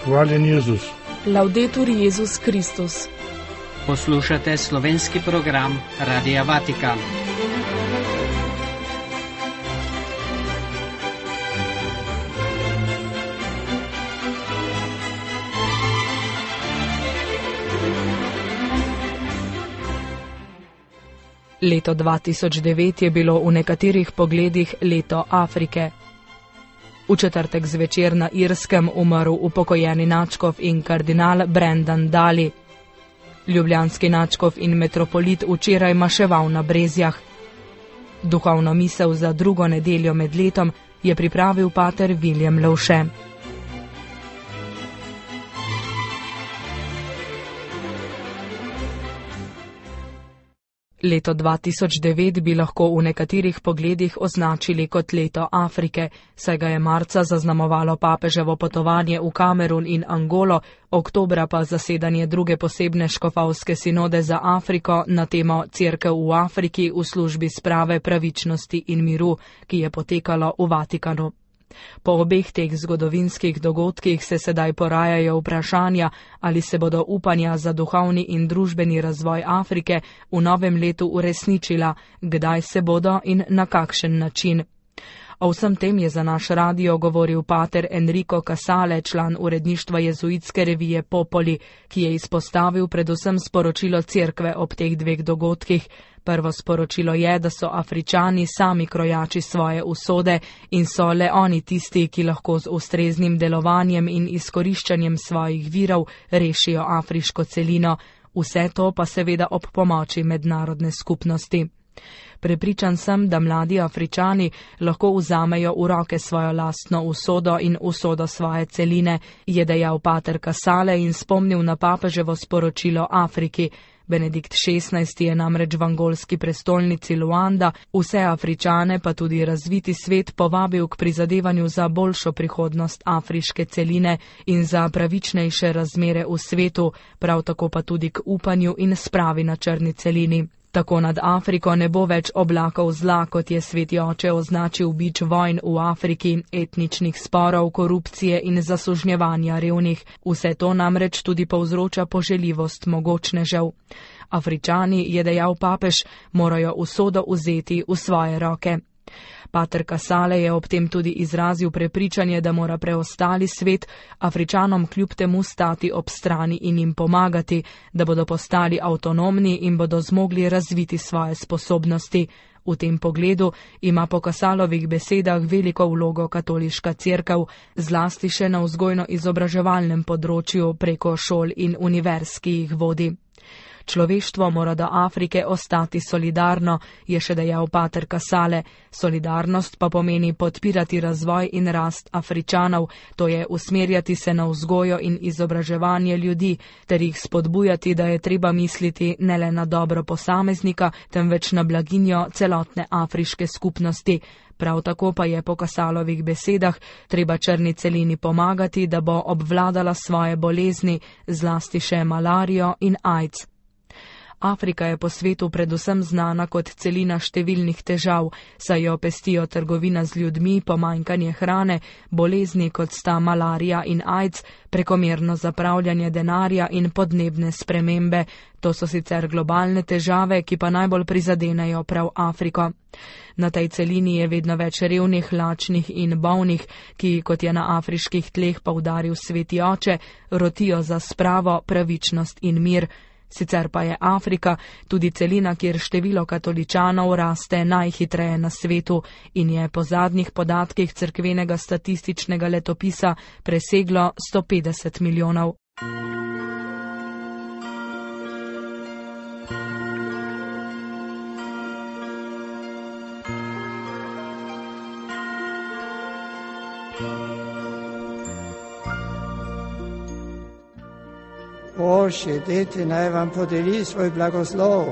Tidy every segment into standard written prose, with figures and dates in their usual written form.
Hvaljen Jezus. Laudetur Jezus Kristus. Poslušate slovenski program Radia Vatikan. Leto 2009 je bilo v nekaterih pogledih leto Afrike. V četrtek zvečer na Irskem umrl upokojeni nadškof in kardinal Brendan Daly. Ljubljanski nadškof in metropolit včeraj maševal na Brezjah. Duhovno misel za drugo nedeljo med letom je pripravil pater Viljem Lovše. Leto 2009 bi lahko v nekaterih pogledih označili kot leto Afrike, saj ga je marca zaznamovalo papeževo potovanje v Kamerun in Angolo, oktobra pa zasedanje druge posebne škofovske sinode za Afriko na temo Cerkev v Afriki v službi sprave, pravičnosti in miru, ki je potekalo v Vatikanu. Po obeh teh zgodovinskih dogodkih se sedaj porajajo vprašanja, ali se bodo upanja za duhovni in družbeni razvoj Afrike v novem letu uresničila, kdaj se bodo in na kakšen način. O vsem tem je za naš radio govoril pater Enrico Casale, član uredništva jezuitske revije Popoli, ki je izpostavil predvsem sporočilo cerkve ob teh dveh dogodkih. Prvo sporočilo je, da so Afričani sami krojači svoje usode in so le oni tisti, ki lahko z ustreznim delovanjem in izkoriščanjem svojih virov rešijo afriško celino. Vse to pa seveda ob pomoči mednarodne skupnosti. Prepričan sem, da mladi Afričani lahko vzamejo v roke svojo lastno usodo in usodo svoje celine, je dejal pater Casale in spomnil na papeževo sporočilo Afriki. Benedikt XVI je namreč v angolski prestolnici Luanda vse Afričane pa tudi razviti svet povabil k prizadevanju za boljšo prihodnost afriške celine in za pravičnejše razmere v svetu, prav tako pa tudi k upanju in spravi na črni celini. Tako nad Afriko ne bo več oblakov zla, kot je Sveti oče označil bič vojn v Afriki, etničnih sporov, korupcije in zasužnjevanja revnih. Vse to namreč tudi povzroča poželjivost mogočnežev. Afričani, je dejal papež, morajo usodo vzeti v svoje roke. Pater Casale je ob tem tudi izrazil prepričanje, da mora preostali svet Afričanom kljub temu stati ob strani in jim pomagati, da bodo postali avtonomni in bodo zmogli razviti svoje sposobnosti. V tem pogledu ima po Casalovih besedah veliko vlogo katoliška cerkev, zlasti še na vzgojno-izobraževalnem področju preko šol in univerz, ki jih vodi. Človeštvo mora do Afrike ostati solidarno, je še dejal pater Casale. Solidarnost pa pomeni podpirati razvoj in rast Afričanov, to je usmerjati se na vzgojo in izobraževanje ljudi, ter jih spodbujati, da je treba misliti ne le na dobro posameznika, temveč na blaginjo celotne afriške skupnosti. Prav tako pa je po Casalovih besedah treba črni celini pomagati, da bo obvladala svoje bolezni, zlasti še malarijo in AIDS. Afrika je po svetu predvsem znana kot celina številnih težav, saj jo pestijo trgovina z ljudmi, pomanjkanje hrane, bolezni kot sta malarija in AIDS, prekomerno zapravljanje denarja in podnebne spremembe. To so sicer globalne težave, ki pa najbolj prizadenejo prav Afriko. Na tej celini je vedno več revnih, lačnih in bolnih, ki, kot je na afriških tleh poudaril Sveti oče, rotijo za spravo, pravičnost in mir. Sicer pa je Afrika tudi celina, kjer število katoličanov raste najhitreje na svetu in je po zadnjih podatkih cerkvenega statističnega letopisa preseglo 150 milijonov. Božje dete naj vam podeli svoj blagoslov.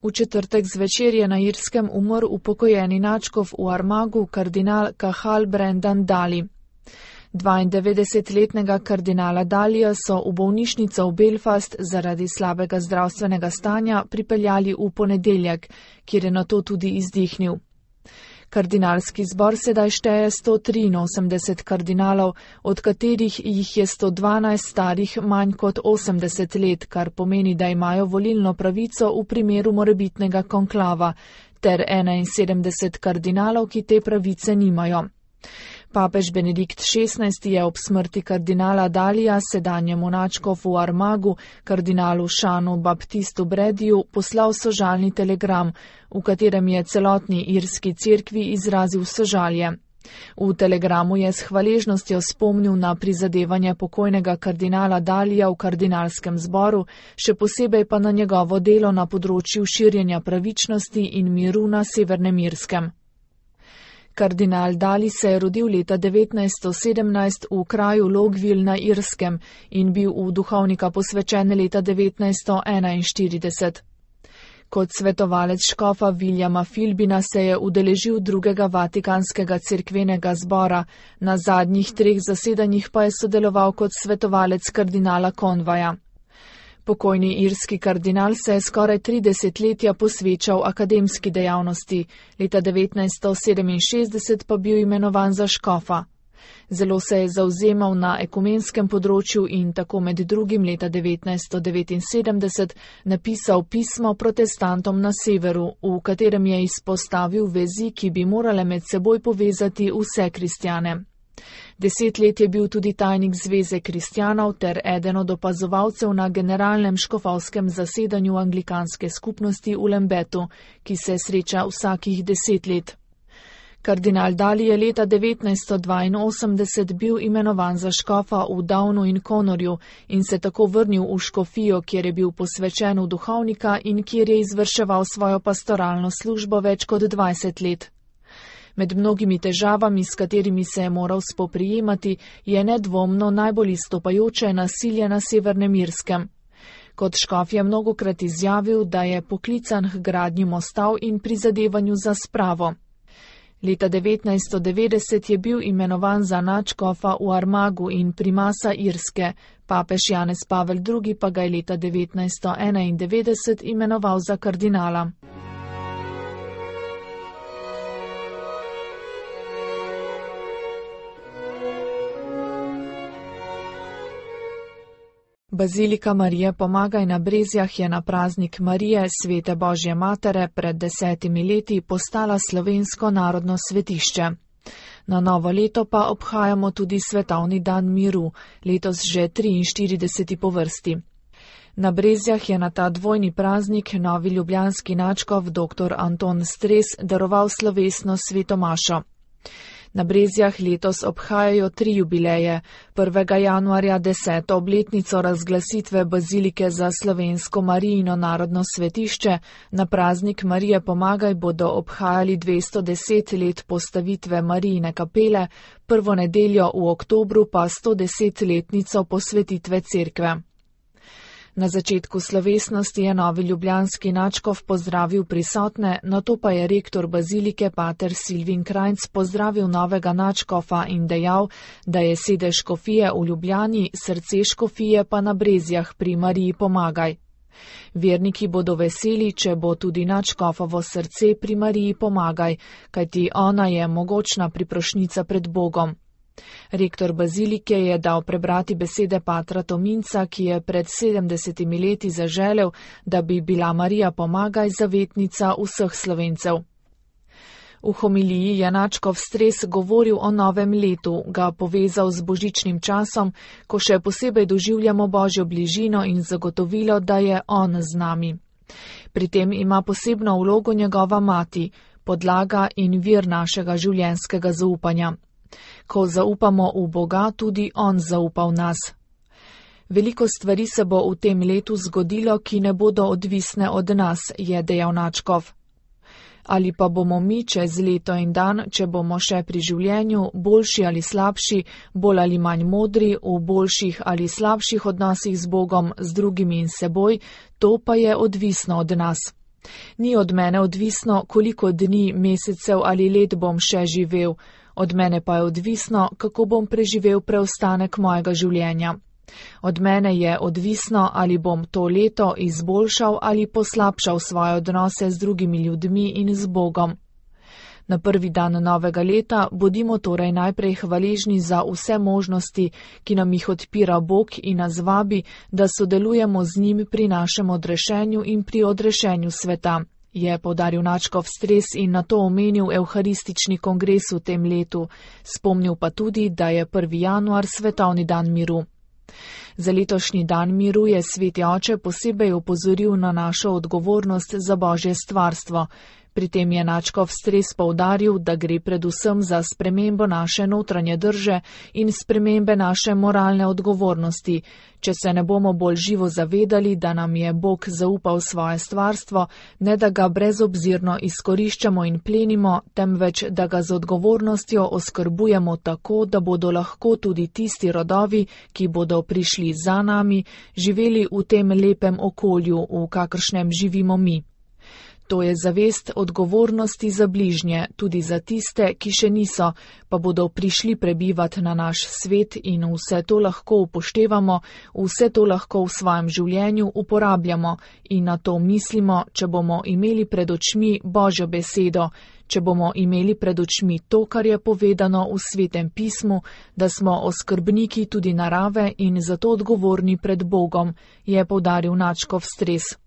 V četrtek zvečer je na Irskem umrl upokojeni nadškof v Armagu kardinal Cathal Brendan Daly. 92-letnega kardinala Dalija so v bolnišnico v Belfast zaradi slabega zdravstvenega stanja pripeljali v ponedeljek, kjer je nato tudi izdihnil. Kardinalski zbor sedaj šteje 183 kardinalov, od katerih jih je 112 starih manj kot 80 let, kar pomeni, da imajo volilno pravico v primeru morebitnega konklava, ter 71 kardinalov, ki te pravice nimajo. Papež Benedikt XVI je ob smrti kardinala Dalija sedanjemu nadškofu v Armagu, kardinalu Šanu Baptistu Brediju, poslal sožalni telegram, v katerem je celotni irski cerkvi izrazil sožalje. V telegramu je s hvaležnostjo spomnil na prizadevanje pokojnega kardinala Dalija v kardinalskem zboru, še posebej pa na njegovo delo na področju širjenja pravičnosti in miru na Severnem Irskem. Kardinal Daly se je rodil leta 1917 v kraju Logville na Irskem in bil v duhovnika posvečen leta 1941. Kot svetovalec škofa Williama Philbina se je udeležil drugega vatikanskega cerkvenega zbora, na zadnjih 3 zasedanjih pa je sodeloval kot svetovalec kardinala Conwaya. Pokojni irski kardinal se je skoraj 3 desetletja posvečal akademski dejavnosti, leta 1967 pa bil imenovan za škofa. Zelo se je zavzemal na ekumenskem področju in tako med drugim leta 1979 napisal pismo protestantom na severu, v katerem je izpostavil vezi, ki bi morale med seboj povezati vse kristjane. 10 let je bil tudi tajnik Zveze kristjanov ter eden od opazovalcev na generalnem škofovskem zasedanju anglikanske skupnosti v Lambetu, ki se sreča vsakih 10 let. Kardinal Daly je leta 1982 bil imenovan za škofa v Downu in Connorju in se tako vrnil v škofijo, kjer je bil posvečen v duhovnika in kjer je izvrševal svojo pastoralno službo več kot 20 let. Med mnogimi težavami, s katerimi se je moral spoprijemati, je nedvomno najbolj izstopajoče nasilje na Severnem Irskem. Kot škof je mnogokrat izjavil, da je poklican k gradnji mostov in prizadevanju za spravo. Leta 1990 je bil imenovan za nadškofa v Armagu in primasa Irske, papež Janez Pavel II pa ga je leta 1991 imenoval za kardinala. Bazilika Marije Pomagaj na Brezjah je na praznik Marije, svete Božje matere, pred 10 leti postala slovensko narodno svetišče. Na novo leto pa obhajamo tudi svetovni dan miru, letos že 43. po vrsti. Na Brezjah je na ta dvojni praznik novi ljubljanski nadškof dr. Anton Stres daroval slovesno sveto mašo. Na Brezjah letos obhajajo 3 jubileje. 1. januarja 10. obletnico razglasitve bazilike za slovensko Marijino narodno svetišče, na praznik Marije Pomagaj bodo obhajali 210 let postavitve Marijine kapele, prvo nedeljo v oktobru pa 110-letnico posvetitve cerkve. Na začetku slovesnosti je novi ljubljanski nadškof pozdravil prisotne, nato pa je rektor bazilike pater Silvin Krajnc pozdravil novega nadškofa in dejal, da je sedež škofije v Ljubljani, srce škofije pa na Brezjah pri Mariji Pomagaj. Verniki bodo veseli, če bo tudi nadškofovo srce pri Mariji Pomagaj, kajti ona je mogočna priprošnica pred Bogom. Rektor bazilike je dal prebrati besede patra Tominca, ki je pred 70 leti zaželel, da bi bila Marija Pomagaj zavetnica vseh Slovencev. V homiliji je nadškof Stres govoril o novem letu, ga povezal z božičnim časom, ko še posebej doživljamo Božjo bližino in zagotovilo, da je on z nami. Pri tem ima posebno vlogo njegova mati, podlaga in vir našega življenjskega zaupanja. Ko zaupamo v Boga, tudi on zaupa v nas. Veliko stvari se bo v tem letu zgodilo, ki ne bodo odvisne od nas, je dejal nadškof. Ali pa bomo mi čez leto in dan, če bomo še pri življenju, boljši ali slabši, bolj ali manj modri, v boljših ali slabših odnosih z Bogom, z drugimi in seboj, to pa je odvisno od nas. Ni od mene odvisno, koliko dni, mesecev ali let bom še živel, od mene pa je odvisno, kako bom preživel preostanek mojega življenja. Od mene je odvisno, ali bom to leto izboljšal ali poslabšal svoje odnose z drugimi ljudmi in z Bogom. Na prvi dan novega leta bodimo torej najprej hvaležni za vse možnosti, ki nam jih odpira Bog in nas vabi, da sodelujemo z njim pri našem odrešenju in pri odrešenju sveta, je poudaril nadškof Stres in na to omenil evharistični kongres v tem letu, spomnil pa tudi, da je 1. januar svetovni dan miru. Za letošnji dan miru je Sveti Oče posebej opozoril na našo odgovornost za Božje stvarstvo. Pri tem je nadškof Stres poudaril, da gre predvsem za spremembo naše notranje drže in spremembe naše moralne odgovornosti. Če se ne bomo bolj živo zavedali, da nam je Bog zaupal svoje stvarstvo, ne da ga brezobzirno izkoriščamo in plenimo, temveč da ga z odgovornostjo oskrbujemo tako, da bodo lahko tudi tisti rodovi, ki bodo prišli za nami, živeli v tem lepem okolju, v kakršnem živimo mi. To je zavest odgovornosti za bližnje, tudi za tiste, ki še niso, pa bodo prišli prebivati na naš svet in vse to lahko upoštevamo, vse to lahko v svojem življenju uporabljamo in na to mislimo, če bomo imeli pred očmi Božjo besedo, če bomo imeli pred očmi to, kar je povedano v Svetem pismu, da smo oskrbniki tudi narave in zato odgovorni pred Bogom, je poudaril nadškof Stres.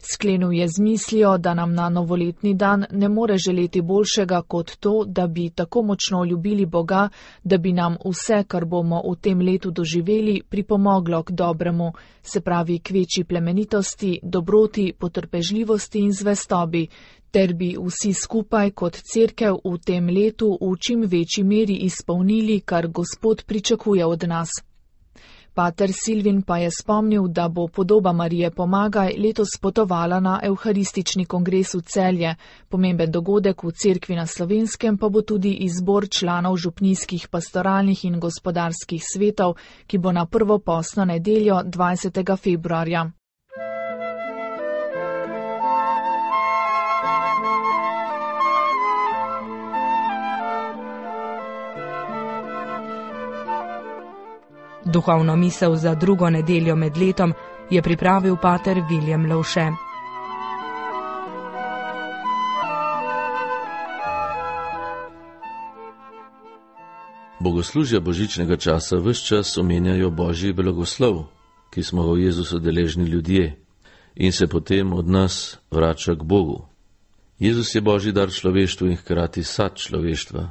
Sklenil je z mislijo, da nam na novoletni dan ne more želeti boljšega kot to, da bi tako močno ljubili Boga, da bi nam vse, kar bomo v tem letu doživeli, pripomoglo k dobremu, se pravi k večji plemenitosti, dobroti, potrpežljivosti in zvestobi, ter bi vsi skupaj kot cerkev v tem letu v čim večji meri izpolnili, kar Gospod pričakuje od nas. Pater Silvin pa je spomnil, da bo podoba Marije Pomagaj letos potovala na evharistični kongres v Celje. Pomemben dogodek v cerkvi na Slovenskem pa bo tudi izbor članov župnijskih pastoralnih in gospodarskih svetov, ki bo na prvo postno nedeljo 20. februarja. Duhovno misel za drugo nedeljo med letom je pripravil pater Viljem Lovše. Bogoslužja božičnega časa ves čas omenjajo Božji blagoslov, ki smo ga v Jezusu deležni ljudje in se potem od nas vrača k Bogu. Jezus je Božji dar človeštvu in hkrati sad človeštva,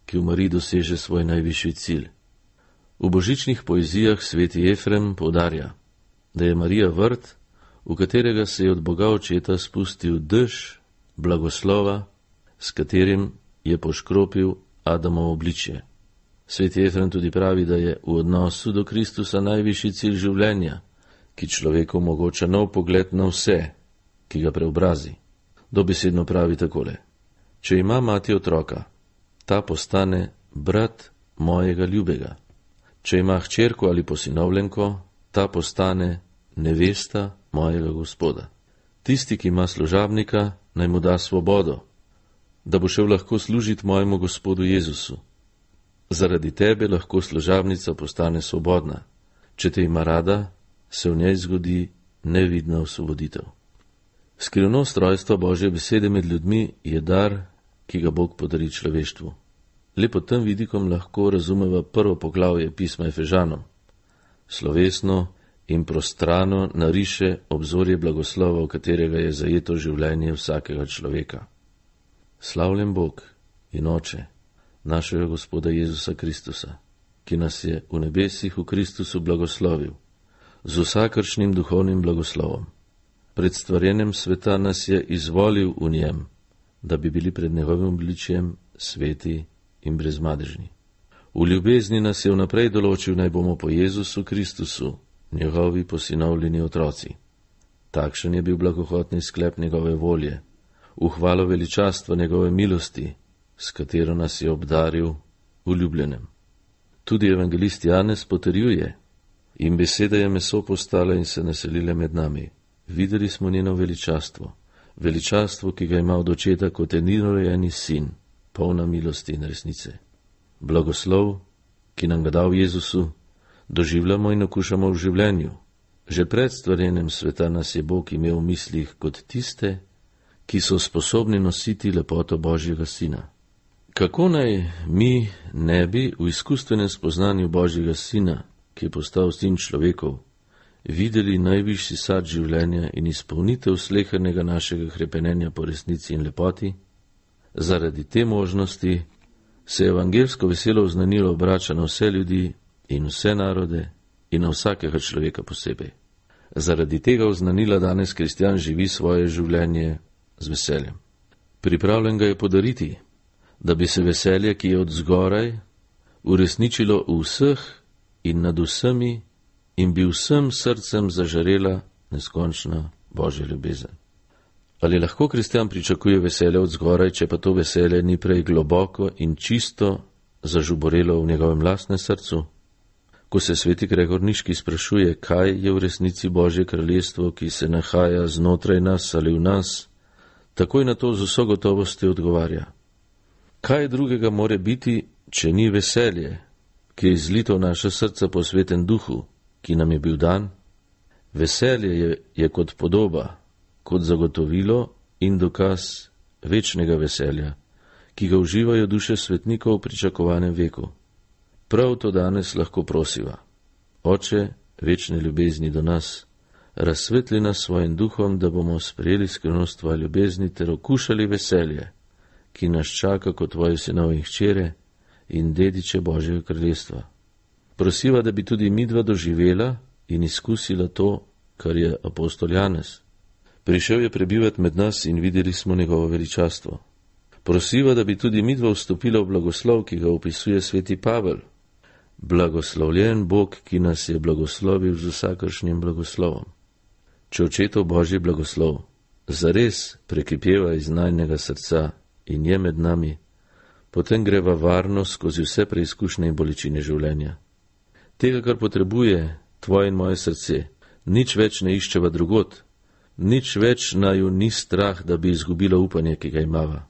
ki v Mariji doseže svoj najvišji cilj. V božičnih poezijah sveti Efrem poudarja, da je Marija vrt, v katerega se je od Boga Očeta spustil dež blagoslova, s katerim je poškropil Adamovo obličje. Sveti Efrem tudi pravi, da je v odnosu do Kristusa najvišji cilj življenja, ki človeku omogoča nov pogled na vse, ki ga preobrazi. Dobesedno pravi takole: če ima mati otroka, ta postane brat mojega ljubega. Če ima hčerko ali posinovljenko, ta postane nevesta mojega Gospoda. Tisti, ki ima služabnika, naj mu da svobodo, da bo šel lahko služiti mojemu Gospodu Jezusu. Zaradi tebe lahko služabnica postane svobodna. Če te ima rada, se v njej zgodi nevidna osvoboditev. Skrivnost rojstva Božje besede med ljudmi je dar, ki ga Bog podari človeštvu. Le pod tem vidikom lahko razumeva prvo poglavje pisma Efežanom. Slovesno in prostrano nariše obzorje blagoslova, v katerega je zajeto življenje vsakega človeka. Slavljen Bog in Oče našega Gospoda Jezusa Kristusa, ki nas je v nebesih v Kristusu blagoslovil, z vsakršnim duhovnim blagoslovom. Pred stvarjenjem sveta nas je izvolil v njem, da bi bili pred njegovim obličjem sveti in brezmadežni. V ljubezni nas je vnaprej določil, naj bomo po Jezusu Kristusu, njegovi posinovljeni otroci. Takšen je bil blagohotni sklep njegove volje, v hvalo veličastva njegove milosti, s katero nas je obdaril v ljubljenem. Tudi evangelist Janez potrjuje: in beseda je meso postala in se naselila med nami. Videli smo njeno veličastvo, veličastvo, ki ga ima od očeta kot edinorođeni sin, polna milosti in resnice. Blagoslov, ki nam ga dal Jezusu, doživljamo in okušamo v življenju. Že pred stvarjenjem sveta nas je Bog imel v mislih kot tiste, ki so sposobni nositi lepoto Božjega Sina. Kako naj mi ne bi v izkustvenem spoznanju Božjega Sina, ki je postal sin človekov, videli najvišji sad življenja in izpolnitev slehernega našega hrepenenja po resnici in lepoti? Zaradi te možnosti se evangelsko veselo oznanilo obrača na vse ljudi in vse narode in na vsakega človeka posebej. Zaradi tega oznanila danes kristjan živi svoje življenje z veseljem. Pripravljen ga je podariti, da bi se veselje, ki je od zgoraj, uresničilo v vseh in nad vsemi in bi vsem srcem zažarela neskončna Božja ljubezen. Ali lahko kristjan pričakuje veselje od zgoraj, če pa to veselje ni prej globoko in čisto zažuborelo v njegovem lastnem srcu? Ko se sveti Gregor Niški sprašuje, kaj je v resnici Božje kraljestvo, ki se nahaja znotraj nas ali v nas, takoj na to z vso gotovostjo odgovarja: kaj drugega more biti, če ni veselje, ki je izlito v naše srca po Svetem Duhu, ki nam je bil dan? Veselje je kot podoba, kot zagotovilo in dokaz večnega veselja, ki ga uživajo duše svetnikov v pričakovanem veku. Prav to danes lahko prosiva: Oče večne ljubezni do nas, razsvetli nas svojim duhom, da bomo sprejeli skrivnost tvoje ljubezni ter okušali veselje, ki nas čaka kot tvoji sinovi in hčere in dediče Božjega kraljestva. Prosiva, da bi tudi midva doživela in izkusila to, kar je apostol Janez. Prišel je prebivati med nas in videli smo njegovo veličastvo. Prosiva, da bi tudi midva vstopila v blagoslov, ki ga opisuje sveti Pavel. Blagoslovljen Bog, ki nas je blagoslovil z vsakršnim blagoslovom. Če očetov Božji blagoslov zares prekipeva iz najnega srca in je med nami, potem greva varno skozi vse preizkušnje in bolečine življenja. Tega, kar potrebuje tvoje in moje srce, nič več ne iščeva drugot, nič več naju ni strah, da bi izgubila upanje, ki ga imava.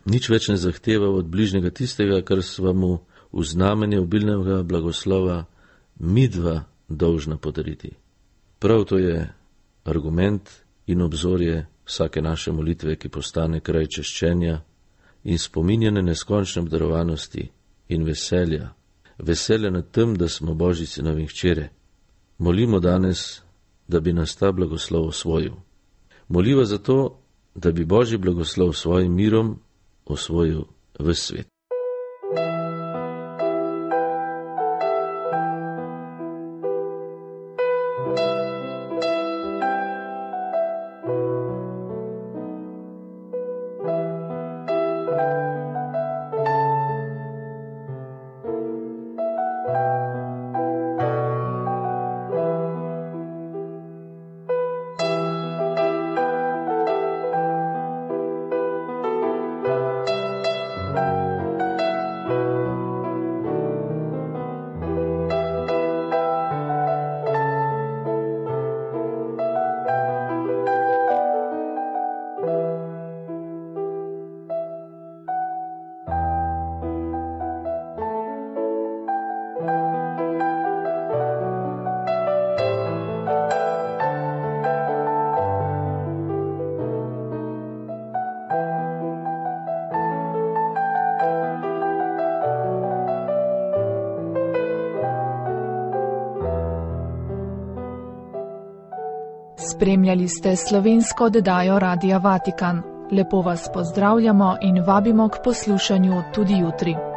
Nič več ne zahteva od bližnjega tistega, kar sva mu v znamenje obilnega blagoslova midva dolžna podariti. Prav to je argument in obzorje vsake naše molitve, ki postane kraj češčenja in spominjane neskončne obdarovanosti in veselja, veselja nad tem, da smo Božji sinovi in hčere. Molimo danes, da bi nas ta blagoslov osvojil. Moliva zato, da bi Božji blagoslov svojim mirom osvojil ves svet. Spremljali ste slovensko oddajo Radia Vatikan. Lepo vas pozdravljamo in vabimo k poslušanju tudi jutri.